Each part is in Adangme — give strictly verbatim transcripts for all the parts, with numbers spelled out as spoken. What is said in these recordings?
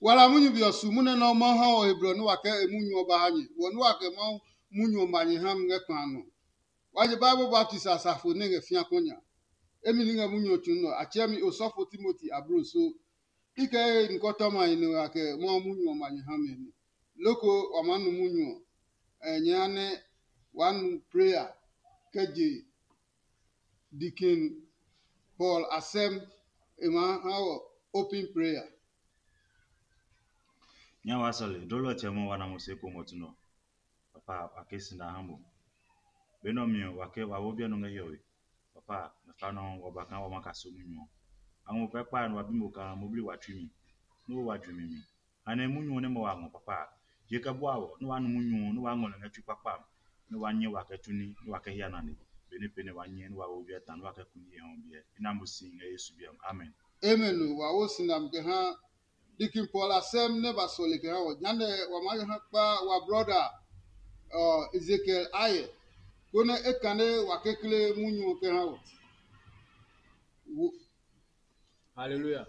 Wala munyu be ɔ su munyu nɛ Mawu ha wɔ he blɔ nɛ wa kɛ e munyu ɔ ba ha nyɛ, wɔ nɛ wa kɛ Mawu munyu ɔ ma nyɛ ha mi ngɛ kpa a nɔ. Wa je Bible baptisi a safo nɛ ngɛ fĩa kɔ nya. Emi ni ngɛ munyu ɔ tsu nɔ, a tsɛɛ mi osɔfo Timoti ablo so. I kɛ e nikɔtɔmahi nɛ wa kɛ Mawu munyu ɔ ma nyɛ ha mi ɔ nɛ. Loko wa maa nu munyu ɔ, nyɛ ha nɛ waa nu prayer kɛ je Deacon Paul asɛm e maa ha wɔ open prayer. Nya wa sɔle, dolo ɔtsɛ mɔ wa na mo se ko ngɔ tu nɔ. Papa, wa ke si na ha mo. Be nɔ mi ɔ, wa ke wa wo biɛ nɔ ngɛ hiɔwe. Papa, na fa nɔ wa ba kaa wa ma ka so munyu ɔ. A ngɔ kpɛ kpa nɔ wa bi mo kaa mo bli wa tsui mi. Nɔ wa ju mi mi. Anɛ munyu ɔ nɛ mɔ wa ngɔ papa. Je kɛ bua wɔ, nɔ wa nu munyu ɔ, nɔ wa ngɔ lɛ ngɛ tsui kpakpa. Nɔ wa nyɛ wa kɛ tuni, nɔ wa kɛ hia nane. Be nɛ pɛnɛ wa nyɛ, nɔ wa wo biɛ ta, nɔ wa kɛ kuni ye hɔn biɛ. I na mo si ngɛ Yesu biɛ. Amen. Amen. Wa wo sinam kɛ ha Deacon Paul asɛm nɛ ba sɔle kɛ ha wɔ. Jehanɛ wa maa ha kpa wa brɔda Ezekiel ayɛ, konɛ e kane wa kekle munyu ɔ kɛ ha wɔ. Haleluya.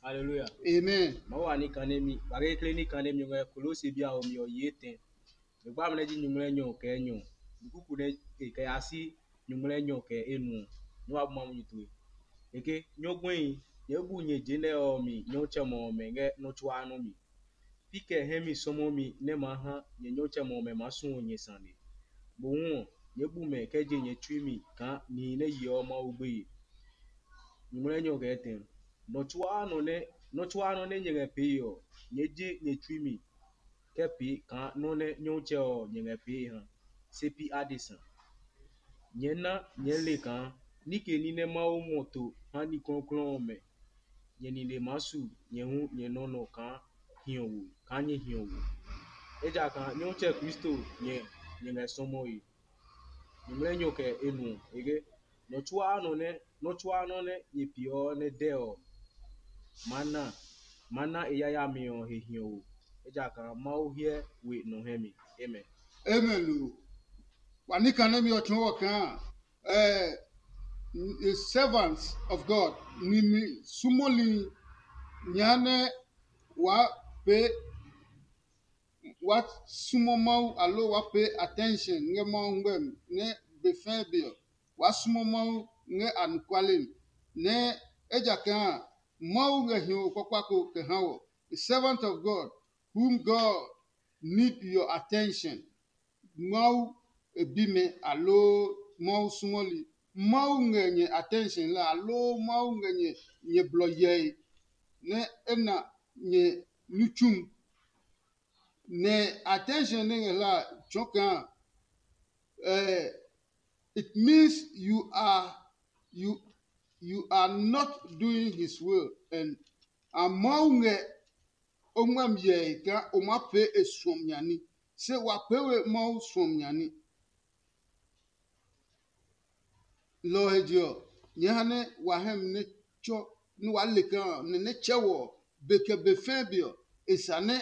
Haleluya. Amen. Ma wa ni kane mi, wa kekle ni kane mi ngɛ Kolose bia ɔ mi ɔ yi etɛ. Nyugbami nɛ ji nyuŋmlɛnyɔ kɛ enyɔ, kuku nɛ e kɛ ya si nyuŋmlɛnyɔ kɛ enuɔ, nɛ wa bu Mawu nyi tue. Eke nyɔguɛhi, nyɛɛ bu nyɛ je nɛ ɔ mi nyɔtsɛmɛ ɔmɛ ngɛ nɔ́ tsuaa nɔ́ mi. Pi kɛ hɛ mi sɔmɔmi nɛ maa ha nyɛ nyɔtsɛmɛ ɔmɛ maa suɔ nyɛ sane. Mohu ɔ, nyɛɛ bu mɛ kɛ je nyɛ tsui mi kaa nihi nɛ yeɔ Mawu gbeye. Nyuŋmlɛnyɔ kɛ etɛ. Nɔ tsuaa nɔ nɛ nɔ tsuaa nɔ nɛ nyɛ ngɛ pee ɔ, nyɛɛ je nyɛ tsui mi kɛ pee kaa nɔ́ nɛ Nyɔmtsɛ ɔ nyɛ ngɛ pee ha, se pi adesa. Nyɛɛ na nyɛɛ le kaa ní ke ní nɛ Mawu ngɔ to ha ní klɔuklɔu ɔmɛ, nyɛ nine maa su nyɛ hu nyɛ nɔ́ nɔ kaa hiɔwo kaa nyɛ hiɔwo. Ejakaa Nyɔmtsɛ Kristo nyɛ nyɛ ngɛ sɔmɔe. Nyuŋmlɛnyɔ kɛ enuɔ e ke, nɔ tsuaa nɔ nɛ nɔ tsuaa nɔ nɛ nyɛ peeɔ nɛ dɛ ɔ, ma na ma na e yayami ɔ he hiɔwo, ejakaa Mawu hyɛ we nɔ hɛ mi. Amen. Amen o. Wa ní kane mi ɔ tsɔɔ wɔ kaa eh, servants of God, nimi sumɔli nya nɛ wa pe wa sumɔ Mawu alo wa pay attention ngɛ Mawu ngmɛmi nɛ be fɛɛ be ɔ, wa sumɔ Mawu ngɛ anɔkuale mi, nɛ ejakaa Mawu ngɛ hiɔwo kpakpa ko kɛ ha wɔ. The servant of God whom God need your attention. Mawu e bimɛ aloo Mawu sumɔli. Mawu ngɛ nyɛ attention la aloo Mawu ngɛ nyɛ nyɛ blɔ yɛe nɛ e na nyɛ nitsum. Nɛ attention nɛ ngɛ hla tsɔɔ kaa eh, it means you are you you are not doing his will and a Mawu ngɛ o ngmami hyɛe kaa o maa pee e suɔmi nya ní, se wa pee we Mawu suɔmi nya ní. Lɔ ɔ he je ɔ, nyɛɛ ha nɛ wa hɛ mi nɛ tsɔ nɛ waa le kaa nɛ nɛ tsɛ wɔ ɔ, be kɛ be fɛɛ be ɔ, e sa nɛ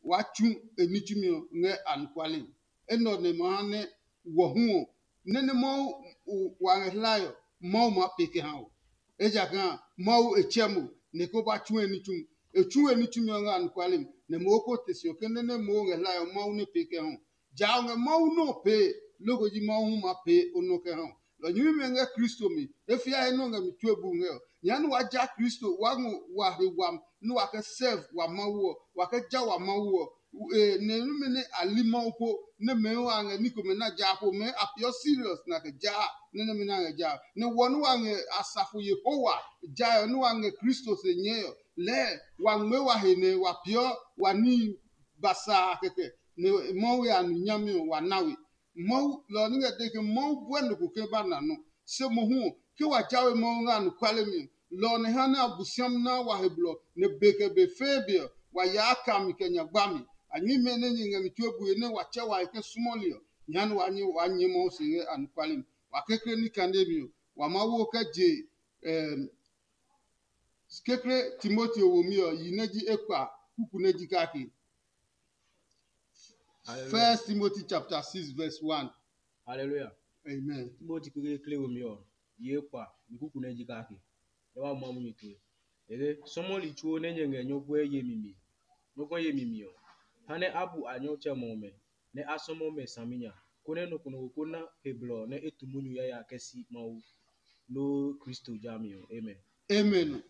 waa tsu e ní tsumi ɔ ngɛ anɔkuale. Enɛ ɔ nɛ ma ha nɛ wɔ hu ɔ, nɛ nɛ Mawu wa ngɛ hlae ɔ, Mawu maa pee kɛ ha wɔ. Ejakaa Mawu e tsɛ mo nɛ ko ba tsu e ní tsumi. E tsu e ní tsumi ɔ ngɛ anɔkuale mi, nɛ mo ko te si ɔ ke nɛ nɛ Mawu ngɛ hlae ɔ, Mawu nɛ pee kɛ ha wɔ. Ja ɔ ngɛ Mawu nɔ́ ɔ pee, loko ji Mawu hu maa pee o nɔ kɛ ha ɔ. Lɔ nyɛmimɛ ngɛ Kristo mi, e fia he nɔ́ ngɛ mi tue bu ngɛ ɔ. Nyɛɛ nɛ wa ja Kristo wa ngɔ wa he wami nɛ wa kɛ serve wa Mawu ɔ, wa kɛ ja wa Mawu ɔ. Nɛ nɛmɛ nɛ a li Mawu po nɛ mɛɛ wa ngɛ ní komɛ na ja po mɛɛ a peeɔ serious na kɛ ja nɛ nɛmɛ na ngɛ ja. Nɛ wɔ nɛ wa ngɛ asafo Yehowa ja ɔ nɛ wa ngɛ Kristo se nyɛɛ ɔ, lɛɛ wa ngmɛɛ wa he nɛ wa peeɔ wa níhi basaa kɛkɛ nɛ Mawu ya nu nyami ɔ wa na we. Mawu lɔ ɔ ní ngɛ dee ke Mawu buɛ nɔ ko ke ba na nɔ. Se mohu ɔ, ke wa jawe Mawu ngɛ anɔkuale mi ɔ, lɔ ɔ nɛ ha nɛ Abosiami na wa he blɔ nɛ be kɛ be fɛɛ be ɔ, wa yaa kami kɛ nya gbami. A nyɛmimɛ nɛ nyɛ ngɛ mi tue bue nɛ wa tsɛ wa he ke súmɔli ɔ, nya nɛ wa nyɛ wa nyɛ Mawu se ngɛ anɔkuale mi. Wa kekle ní kane mi ɔ, wa Mawu kɛ je kekle Timoteo womi ɔ, yi nɛ ji ekpa kuku nɛ ji kake. Hallelujah. First Timothy chapter six verse one. Hallelujah. Amen. Timothy kekle womi ɔ, yi ekpa, yi kuku nɛ ji kake. Nɛ wa ma munyu tue. Ege sɔmɔli tsuo nɛ nyɛ ngɛ nyɔguɛ yemi mi, nyɔguɛ yemi mi ɔ, ha nɛ a bu a nyɔtsɛmɛ ɔmɛ, nɛ a sɔmɔ mɛ saminya, konɛ nɔ ko nɔ ko ko na he blɔ nɛ e tu munyu yaya kɛ si Mawu loo Kristo jami ɔ. Amen. Amen.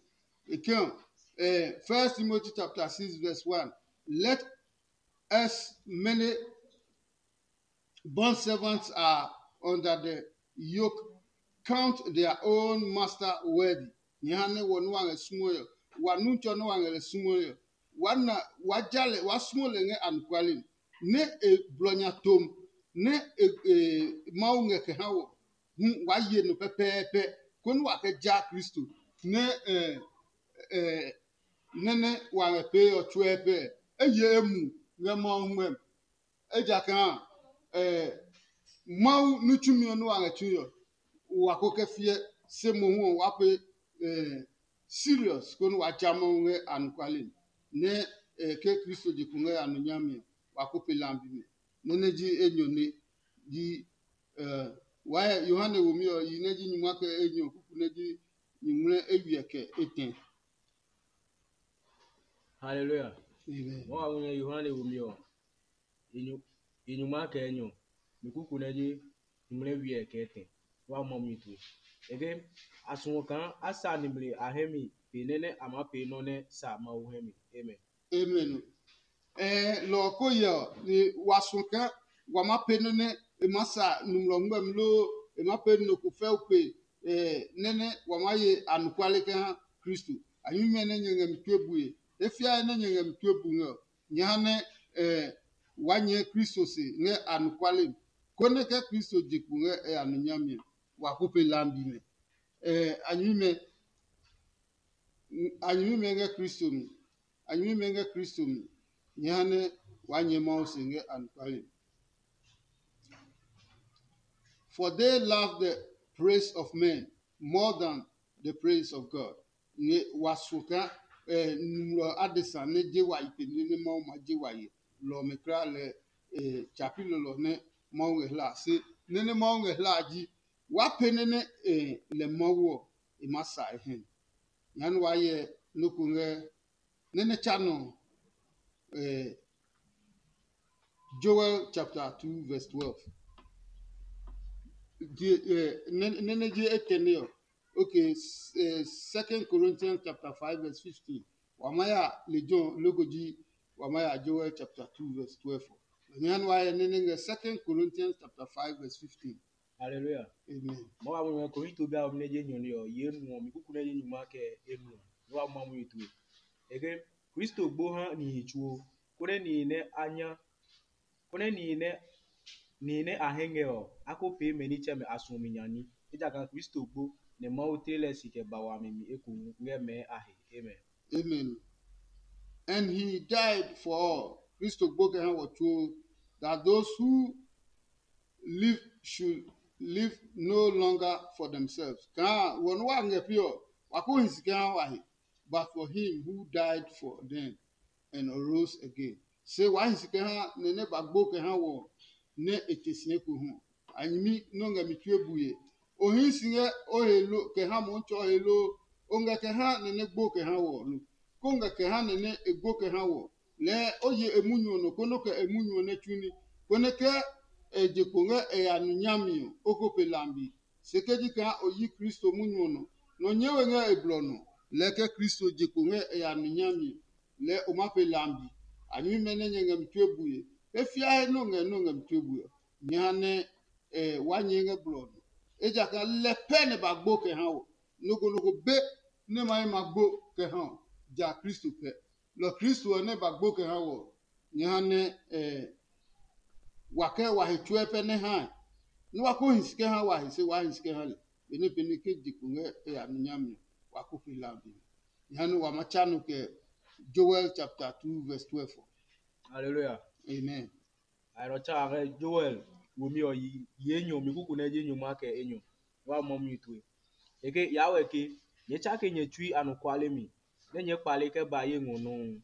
Ekɛɔ, eh, First Timothy chapter six verse one. Let as many bond servants are under the yoke count their own master worthy. Nyɛ ha nɛ wɔ nua ngɛ sumo yɔ, wa nu tsɔ nua ngɛ lɛ sumo yɔ, wa na wa ja lɛ wa sumo lɛ ngɛ anɔkuale mi, nɛ e blɔ nya tom, nɛ e e Mawu ngɛ kɛ ha wɔ hu wa ye nɔ pɛpɛɛpɛ, konɛ wa kɛ ja Kristo nɛ ɛ ɛ nɛnɛ wa ngɛ pee ɔ tsuɛ pɛ. Eye emu ngɛ Mawu ngmɛm. Ejakaa eh, Mawu ní tsumi ɔ nɛ wa ngɛ tsu ɔ, wa ko kɛ fiɛ, se mohu ɔ wa pe eh, serious konɛ wa tsa Mawu ngɛ anɔkuale mi, nɛ eh, ke Kristo je kpo ngɛ anɔ nyami ɔ, wa ko pe lambi mi. Nɛ nɛ ji enyɔ nɛ ji eh, wa Yohane womi ɔ yi nɛ ji nyuma kɛ enyɔ kuku nɛ ji nyuŋmlɛ eywiɛ kɛ etɛ. Haleluya. Amen. Mɔ wa ŋu nyɛ Yohane womi ɔ, e nyuma kɛ enyɔ, mi kuku nɛ ji nyuŋmlɛ wiɛ kɛ etɛ. Wa mɔ mi tue. Eke a suɔ kaa a sa nimli a hɛ mi pe nɛ nɛ a maa pee nɔ́ nɛ sa Mawu hɛ mi. Amen. Amen. Ɛɛ lɔ ɔ ko yɛ ɔ, ni wa suɔ kaa wa ma pee nɔ́ nɛ e maa sa nɔmlɔ ngmɛmi loo e maa pee nɔ ko fɛu pe ɛɛ nɛ nɛ wa maa ye anɔkuale kɛ ha Kristo. A nyumu nɛ nyɛ ngɛ mi tue bue. E fiae nɛ nyɛ ngɛ mi tue bu ngɛ ɔ, nyɛ ha nɛ ɛɛ wa nyɛɛ Kristo se ngɛ anɔkuale mi, konɛ ke Kristo je kpo ngɛ e anɔ nyami ɔ, wa ko pe lambi mɛ. Ɛɛ a nyumu mɛ a nyɛmimɛ ngɛ Kristo mi. A nyɛmimɛ ngɛ Kristo mi. Nyɛ ha nɛ waa nyɛ Mawu se ngɛ anɔkuale mi. For they love the praise of men more than the praise of God. Nɛ wa suɔ kaa eh, nɔmlɔ adesa nɛ je wa yi pe nɛ Mawu ma je wa yi lɔ ɔmɛ kulaa lɛ eh, tsapi lɔlɔ nɛ Mawu ngɛ hla se nɛ nɛ Mawu ngɛ hla ji wa pe nɛ nɛ eh, lɛ Mawu ɔ e ma sa e hɛ. Nyɛɛ nɛ waa hyɛ nɔ́ ko ngɛ nɛ nɛ tsa nɔ eh, Joel chapter two verse twelve. Nɛ nɛ ji etɛ nɛ ɔ. Okay, Second Corinthians chapter five verse fifteen. Wa ma ya lejɛ ɔ loko ji wa ma ya Joel chapter two verse twelve ɔ. Nyɛɛ nɛ waa hyɛ nɛ nɛ ngɛ Second Corinthians chapter five verse fifteen. Hallelujah. Amen. Mɔ wa mo ko hito bia mi ne je nyɔ ni ɔ ye nu ɔ mi kuku ne je nyuma kɛ enu ɔ. Mɔ wa mo mu itu. Eke Kristo gbo ha nihi tsuo. Kone nihi ne a nya. Kone nihi ne nihi ne a hɛngɛ ɔ, a ko pee mɛ nitsɛmɛ a suɔmi nya ní. Ejakaa Kristo gbo nɛ Mawu tle lɛ si kɛ ba wami mi ekohu ngɛ mɛɛ a he. Amen. Amen. And he died for all. Kristo gbo kɛ ha wɔ tsuo, that those who live should live no longer for themselves. Kaa wɔ nɛ wa ngɛ pi ɔ, wa ko hi si kɛ ha wa he, but for him who died for them and arose again. Se wa hi si kɛ ha nɛ nɛ ba gbo kɛ ha wɔ nɛ e te si eko hu. A nyɛmi nɔ ngɛ mi tue bue. O hii si ngɛ o he lo kɛ ha Mɔmitsɛ ɔ he loo? O ngɛ kɛ ha nɛ nɛ gbo kɛ ha wɔ lo? Ko ngɛ kɛ ha nɛ nɛ e gbo kɛ ha wɔ? Lɛɛ o ye e munyu ɔ nɔ konɛ o kɛ e munyu ɔ nɛ tsu ní, konɛ ke e je kpo ngɛ e ya nu nyami ɔ, o ko pe lambi. Se ke ji kaa o yi Kristo munyu ɔ nɔ, nɔ nyɛɛ we ngɛ e blɔ nɔ. Lɛɛ ke Kristo je kpo ngɛ e ya nu nyami ɔ, lɛɛ o ma pe lambi. A nyɛmimɛ nɛ nyɛ ngɛ mi tue bue, e fiae nɛ o ngɛ nɛ o ngɛ mi tue bue ɔ, nyɛ ha nɛ wa nyɛɛ ngɛ blɔ ɔ nɔ. Ejakaa lɛ pɛ nɛ ba gbo kɛ ha wɔ. Nɔ ko nɔ ko be nɛ ma yi ma gbo kɛ ha ɔ, ja Kristo kɛ. Lɔ Kristo ɔ nɛ ba gbo kɛ ha wɔ, nyɛ ha nɛ wa kɛ wa he tsuɛ pɛ nɛ hae. Nɛ wa ko hi si kɛ ha wa he se waa hi si kɛ ha lɛ. Benɛ benɛ ke je kpo ngɛ e ya nu nyami ɔ, wa ko pe lambi. Nyɛ ha nɛ wa ma tsa nɔ kɛ Joel chapter two verse twelve ɔ. Hallelujah. Amen. Ayrɔ tsa a ngɛ Joel womi ɔ yi enyɔ mi kuku nɛ ji nyuma kɛ enyɔ. Wa mɔ mi tue. Eke ya wɛ ke nyɛ tsake nyɛ tsui anɔkuale mi, nɛ nyɛɛ kpale kɛ ba ye ngɔ nɔuu.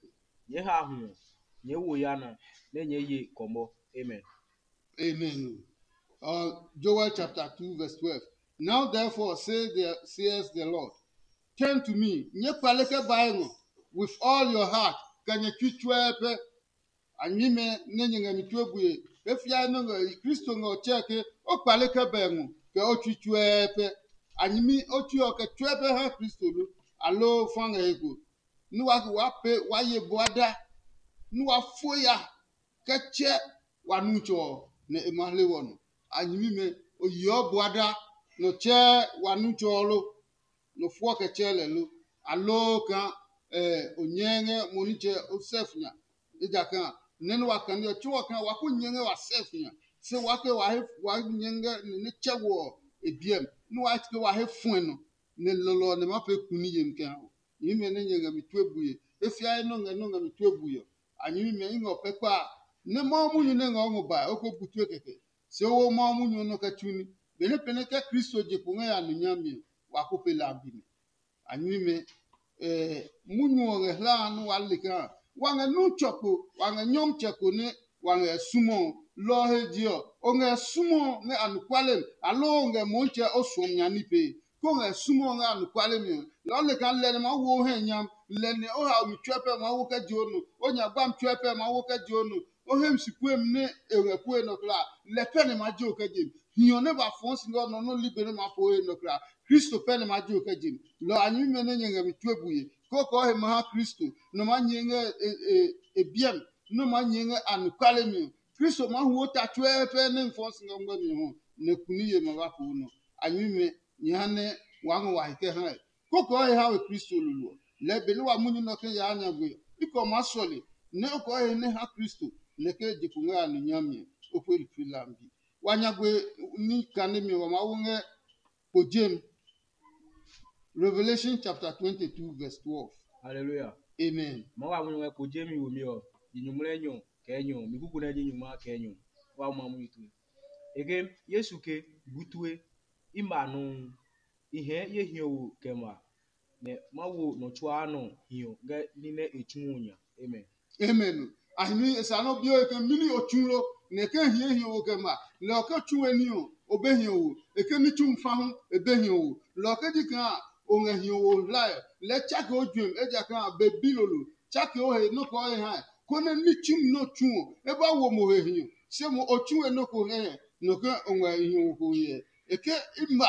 Nyɛɛ ha hu ɔ, nyɛɛ wo yana, nɛ nyɛɛ ye kɔmɔ. Amen. Amen. Uh, Joel chapter two verse twelve. Now therefore say the, says the Lord, turn to me, nyɛɛ kpale kɛ bae ngɔ with all your heart, kɛ nyɛ tsui tsuɛɛ pɛ. A nyɛmimɛ nɛ nyɛ ngɛ mi tue bue, e fiae nɛ ngɛ Kristo ngɛ ɔ tsɛɛ ke o kpale kɛ bae ngɔ kɛ o tsui tsuɛɛ pɛ. A nyɛmi o tsui ɔ kɛ tsuɛ pɛ ha Kristo lo, aloo fa ngɛ he ko? Nɛ wa ke waa pee waa ye bua da, nɛ wa fo ya kɛ tsɛ wa nu tsɔ ɔ, nɛ e ma hle wɔ nɔ. A nyɛmimɛ, o yeɔ bua da, nɔ tsɛɛ wa nu tsɔ ɔ lo? Nɔ fuɔ kɛ tsɛɛ lɛ lo? Aloo kaa o nyɛɛ ngɛ mo nitsɛ o sɛf nya? Ejakaa nɛ nɛ wa kane ɔ, tso ɔ kaa wa ko nyɛ ngɛ wa sɛf nya, se wa ke wa he wa nyɛ ngɛ nɛ nɛ tsɛ wɔ ɔ e biɛ mi, nɛ wa ke wa he fuɛ nɔ, nɛ lɔlɔ ɔ nɛ ma pee kuni yemi kɛ ha o. Nyɛmimɛ nɛ nyɛ ngɛ mi tue bue, e fiae nɔ ngɛ nɔ ngɛ mi tue bue ɔ. A nyɛmimɛ i ngɛ o pɛ kpa a, nɛ Mawu munyu nɛ ngɛ o ngɔ bae o ko bu tue kɛkɛ. Se o wo Mawu munyu ɔ nɔ kɛ tsu ní. Benɛ pɛnɛ kɛ Kristo je kpo ngɛ ya nu nyami ɔ, wa ko pe la a bi mi. A nyɛmimɛ, munyu ɔ ngɛ hlaha nɛ waa le kaa wa ngɛ nu tsɔ kpo, wa ngɛ nyɔmtsɛ ko nɛ wa ngɛ sumɔ ɔ. Lɔ ɔ he je ɔ, o ngɛ sumɔ ɔ ngɛ anɔkuale mi, aloo o ngɛ Mɔɔtsɛ o suɔmi nya ní pee? Ko ngɛ sumɔ ɔ ngɛ anɔkuale mi ɔ, lɔ ɔ le kaa lɛ nɛ maa wo o hɛ nyam, lɛ nɛ o haomi tsuɛ pɛ maa wo kɛ je o nɔ, o nyagbami tsuɛ pɛ maa wo kɛ je o nɔ, o hemi si puemi nɛ e ngɛ pue nɔ kulaa, lɛ pɛ nɛ maa je o kɛ je mi. Hiɔ nɛ ba fɔɔ si ngɛ o nɔ nɔ́ ligbe nɛ maa po he nɔ kulaa, Kristo pɛ nɛ maa je o kɛ je mi. Lɔ a nyɛmimɛ nɛ nyɛ ngɛ mi tue bue, kɔkɔɔ he ma ha Kristo, nɔ maa nyɛɛ ngɛ e biɛ mi, nɔ maa nyɛɛ ngɛ anɔkuale mi ɔ. Kristo maa hu o ta tsuɛɛ pɛ nɛ n fɔɔ si ngɛ ngmɛmi ɔ, nɛ kuni ye ma ba po nɔ. A nyɛmimɛ, nyɛ ha nɛ waa ngɔ wa he kɛ ha ɛ. Kókó ɔ he ha we Kristo lolo ɔ, lɛɛ benɛ wa munyu nɛ ɔ ke yaa nyagbe ɔ, i kɛ o maa sɔle nɛ o kɛ o he nɛ ha Kristo, nɛ ke je kpo ngɛ a nu nyami ɔ, o pue ni Finland bi. Wa nyagbe ní kanemi ɔ, wa maa wo ngɛ kpo jem. Revelation chapter twenty-two verse twelve. Hallelujah. Amen. Ma wa munyu ngɛ kpo jemi womi ɔ, yi nyuŋmlɛ nyɔ kɛ nyɔ, mi kuku nɛ ji nyuŋma kɛ nyɔ. Wa ma munyu tue. E ke Yesu ke, bu tue, i ma nɔuu, i hɛɛ ye hiɔ wo kɛ ma, nɛ ma wo nɔ tsuaa nɔ hiɔ ngɛ ní nɛ e tsu ɔ nya. Amen. Amen. A himi e sa nɔ bio e ke mini o tsu lo, nɛ ke hie hiɔ wo kɛ ma, lɛ ɔ ke tsu we ní ɔ, o be hiɔ wo, e ke ní tsu fa hu e be hiɔ wo. Lɛ ɔ ke ji kaa o ngɛ hiɔ wo hlae, lɛɛ tsake o juɛmi, ejakaa be bi lolo, tsake o he nɔ́ kɛ o he hae, konɛ ní tsumi nɛ o tsu ɔ, e ba wo mo he hiɔ. Se mo o tsu we nɔ́ ko hɛ nɔ ke o ngɛ hiɔ wo ko hyɛ. E ke i ma,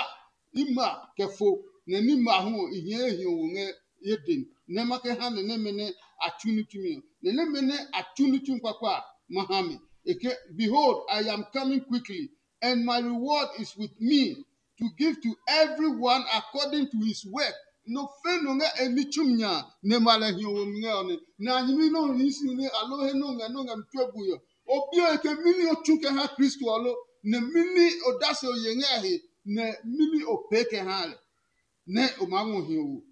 i ma kɛ fo, nɛ ní ma hu ɔ, i hia e hiɔ wo ngɛ ye den, nɛ ma kɛ ha nɛ nɛmɛ nɛ a tsu ní tsumi ɔ. Nɛ nɛmɛ nɛ a tsu ní tsumi kpakpa a, ma ha mi. E ke, behold, I am coming quickly, and my reward is with me to give to everyone according to his work. Nɔ fɛ nɔ ngɛ e ní tsumi nya a, nɛ ma lɛ hiɔ wo mi ngɛ ɔ nɛ. Nɛ a nyɛmi nɛ o hii si nɛ aloo he nɛ o ngɛ nɛ o ngɛ mi tue bui ɔ, o bi ɔ he ke mɛni o tsu kɛ ha Kristo ɔ lo? Nɛ mɛni odase o ye ngɛ a he, nɛ mɛni o pee kɛ ha lɛ? Nɛ o maa ngɔ hiɔ wo,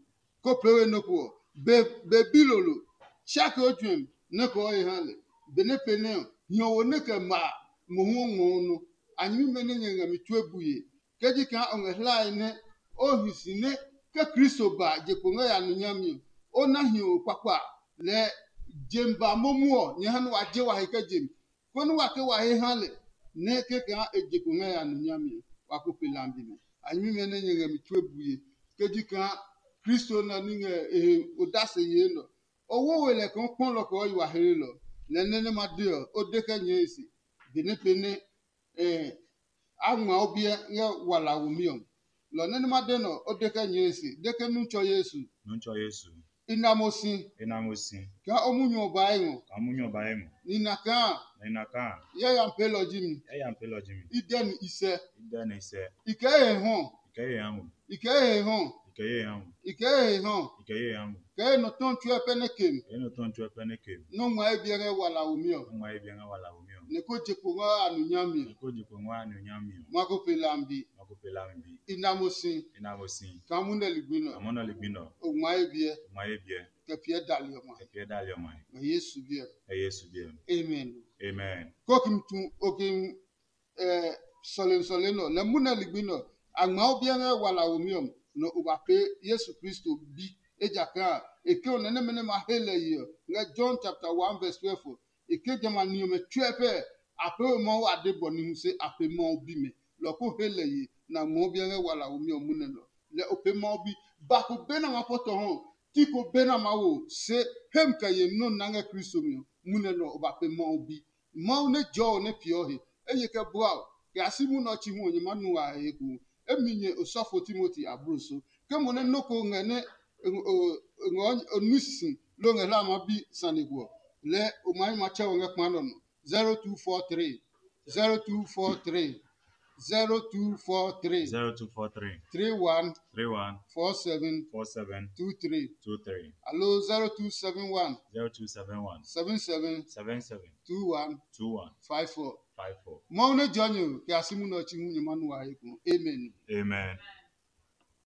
kó pee we nɔ́ ko ɔ, be be bi lolo, tsake o juɛmi nɛ kɔɔ he ha lɛ. Benɛ pee nɛ ɔ, hiɔ wo nɛ kɛ ma a, mohu o ngmɔ o nɔ. A nyɛmimɛ nɛ nyɛ ngɛ mi tue bue, ke ji kaa o ngɛ hlae nɛ o hi si nɛ ke Kristo ba je kpo ngɛ ya nu nyami ɔ, o na hiɔ wo kpakpa a, lɛɛ jem ba momu ɔ, nyɛ ha nɛ wa je wa he kɛ je mi, konɛ wa ke wa he ha lɛ, nɛ kɛkɛ ha e je kpo ngɛ ya nu nyami ɔ, wa ko pe lambi nɛ. A nyɛmimɛ nɛ nyɛ ngɛ mi tue bue, ke ji kaa Kristo nɛ ní ngɛ e he odase yee nɛ ɔ. O wo we lɛ kaa o kpɔ lɔ kɛ o yi wa hlelɔ, lɛ nɛ nɛ ma de ɔ, o de kɛ nyɛɛ e se, benɛ pee nɛ a ngma o biɛ ngɛ wala womi ɔ. Lɔ nɛ nɛ ma de nɛ ɔ, o de kɛ nyɛɛ e se, de ke nu tsɔ Yesu. Nu tsɔ Yesu. I na mo si. I na mo si. Kaa o munyu ɔ ba e ngɔ. Kaa munyu ɔ ba e ngɔ. Ni na kaa. Ni na kaa. Yayami peelɔ ji mi. Yayami peelɔ ji mi. I dɛ ni i sɛ. I dɛ ni i sɛ. I kɛ ye hɔ. I kɛ ye ha mo. I kɛ ye hɔ. I kɛ ye ha mo. I kɛ ye hɔ. I kɛ ye ha mo. Kɛ ye nɔ tɔn tsuɛ pɛ nɛ ke mi. Kɛ ye nɔ tɔn tsuɛ pɛ nɛ ke mi. Nɔ ngma ye biɛ ngɛ wala womi ɔ. Nɔ ngma ye biɛ ngɛ wala womi ɔ. Nɛ ko je kpo ngɛ a nu nyami ɔ. Nɛ ko je kpo ngɛ a nu nyami ɔ. Ma ko pe lambi. Ma ko pe lambi. I na mo si. I na mo si. Kaa munɛ ligbi nɔ. Kaa munɛ ligbi nɔ. O ngma ye biɛ. O ngma ye biɛ. Kɛ piɛ dali ɔmɔ. Kɛ piɛ dali ɔmɔ. Ngɛ Yesu biɛ. Ngɛ Yesu biɛ. Amen. Amen. Ko kim tu o kim sɔlemi sɔlemi nɔ, lɛ munɛ ligbi nɔ, a ngma o biɛ ngɛ wala womi ɔ, nɔ o ba pee Yesu Kristo bi. Ejakaa e ke o nɛ nɛmɛ nɛ ma he lɛ yi ɔ, ngɛ John chapter one verse twelve ɔ, e ke jamɛ a ni ɔmɛ tsuɛ pɛ a pee we Mawu ade bɔ ni hu se a pe Mawu bimɛ. Lɔ ko he lɛ yi, nɛ a ngma o biɛ ngɛ wala womi ɔ munɛ nɔ. Lɛ o pe Mawu bi, Ba ko be nɛ ma pɔtɔ hɔ, ti ko be nɛ ma wo, se hem kɛ ye nɔ na ngɛ Kristo mi ɔ, munɛ nɔ o ba pe Mawu bi. Mawu nɛ jɔ ɔ nɛ piɔ he, eye kɛ bua o, kɛ a si munɔ chi hu ɔ nyɛ ma nu a he eko. Emi nyɛ osɔfo Timoti abro so. Ke mo nɛ nɔ ko ngɛ nɛ o nu sisi lo ngɛ hla ma bi sane ko ɔ, lɛ o ma yi ma tsɛ o ngɛ kpa nɔ nɔ. zero two four three, zero two four three, zero two four three, zero two four three, three one, three one, four seven, four seven, two three, two three, alo zero two seven one, zero two seven one, seven seven, seven seven, two one, two one, five four, five four. Mawu nɛ jɔ nyo kɛ a si munɔ chi hu nyɛ ma nu a he ko. Amen. Amen.